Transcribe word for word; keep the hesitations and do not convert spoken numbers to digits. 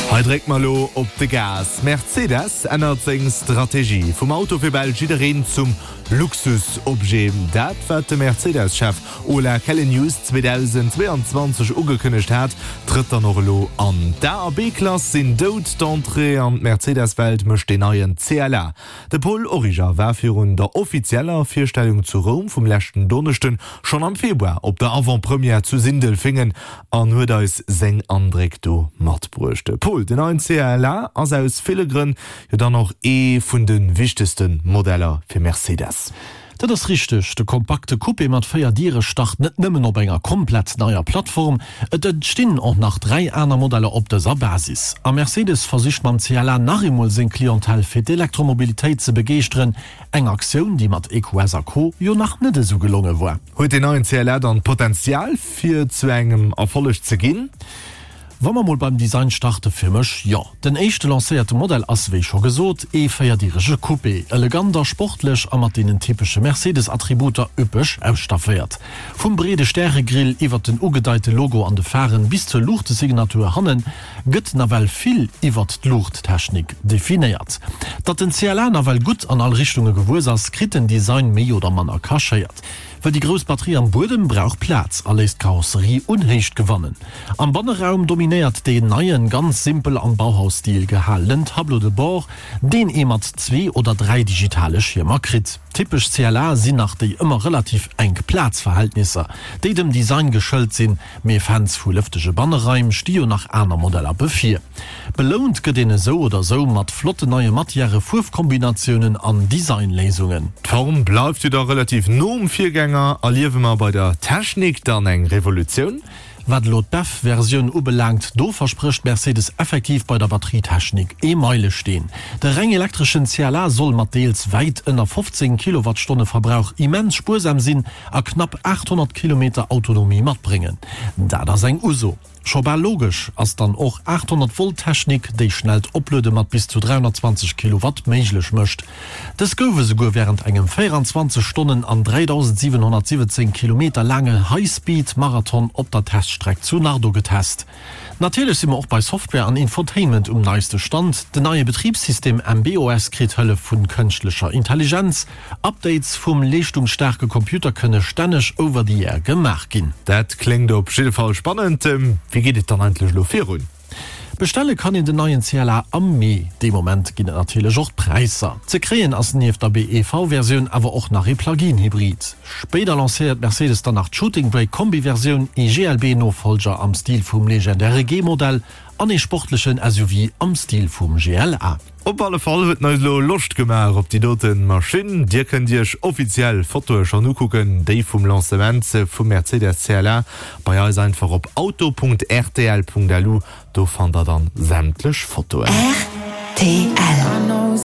Hei drécke mer lo op de Gas. Mercedes ännert seng Strategie vum Auto fir bal jiddereen zum Luxusobjet. Dat wat de Mercedes-Chef Ola Källenius zweedausendzweeanzwanzeg ugekënnegt hat, trëtt dann och elo an. D'A a B-Klass sinn dout, d'Entrée an d'Mercedes-Welt mécht den neien C L A. De Paul Origer war virun der offizieller Virstellung zu Roum vum leschten Donneschden schonn am Februar op der Avant-Première zu Sindelfingen an huet eis seng Andréck do matbruecht. Paul, den neien C L A ass aus ville Grënn jo dann och ee vun de wichtegste Modeller fir Mercedes. Dat ass richteg. De kompakte Coupé mat véier Diere start net nëmmen op enger komplett neier Plattform, et entstinn och nach dräi aner Modeller op dëser Basis. A Mercedes versicht mam C L A nach eemol seng Clientèle fir d'Elektromobilitéit ze begeeschteren, eng Aktioun, déi mat E Q S a Co jo nach net esou gelonge war. Huet den neien C L A dann Potenzial fir zu engem Erfolleg ze ginn? Wa mer mol beim Design starte, fir mech jo. Den éischte lancéierte Modell ass, wéi scho gesot, ee véierdirege Coupé, elegant a sportlech a mat deenen typesche Mercedes-Attributer üppeg ausstafféiert. Vum breede Stäregrill iwwer den ugedeite Logo an de Pharen bis zur Luuchtesignatur hannen gëtt nawell vill iwwer d'Luuchttechnik definéiert. Datt den C L A nawell gutt an all Richtunge gewuess ass, kritt den Design méi oder manner kachéiert. Well déi grouss Batterie am Buedem brauch Plaz a léisst d'Karosserie un Héicht gewannen. Am Banneraum dominéiert deen neien, ganz simpel am Bauhausstil gehalenen Tableau de bord, deen ee mat zwee oder dräi digitale Schiermer kritt. Typesch C L A sinn nach déi ëmmer relativ enk Plazverhältnisser, déi dem Design geschëlt sinn, mee Fans vu lëftege Banneraim sti jo nach aner Modeller bevir. Belount gëtt een esou oder sou mat flotten neie Matière, Fuerfkombinatiounen an Designléisungen. D'Form bleift jo da relativ no um Virgänger. Erliewe mer bei der Technik dann eng Revolutioun? Wat elo d'B E V-Versioun ubelaangt, do versprécht Mercedes effektiv bei der Batterietechnik ee Meilesteen. De reng elektreschen C L A soll mat deels wäit ënner fofzéng Kilowattstonne Verbrauch immens spuersam sinn a knapp aathonnert Kilometer Autonomie matbréngen. Dat ass eng Uso. Scho bal logesch ass dann och aathonnert Volt Technik, déi schnellt Opluede mat bis zu dräihonnertzwanzeg Kilowatt méiglech mécht. Dës gouf esouguer wärend engem véieranzwanzeg Stonnen an dräidausendsiwenhonnertsiwwenzéng Kilometer laange High-Speed-Marathon op der Teststreck zu Nardò getest. Natierlech si mer och bei Software an Infotainment um neiste Stand. Den neie Betribssystem M B O S kritt Hëllef vu kënschtlecher Intelligenz. Updates vum leeschtungsstaarke Computer kënne stänneg over the air gemaach ginn. Dat kléngt op jidde Fall spannend. Wéi geet et dann eigentlech elo virun? Bestelle kann een den neien C L A am Mee. Dee Moment ginn et natierlech och d'Präisser. Ze kréien ass nieft der B E V-Versioun awer och nach ee Plug-in-Hybrid. Spéider lancéiert Mercedes dann nach d'Shooting Brake Kombi-Versioun, ee G L B-Nofollger am Stil vum legendäre G-Modell an ee sportlechen S U V am Stil vum G L A. Op alle Fall huet en eis lo Loscht gemaach op déi dote Maschinn. Dir kënnt iech offiziell Fotoe schonn ukucken, déi vum Lancement vum Mercedes C L A bei eis einfach op auto Punkt R T L Punkt L U, do fannt der dann sämtlech Fotoen. R T L.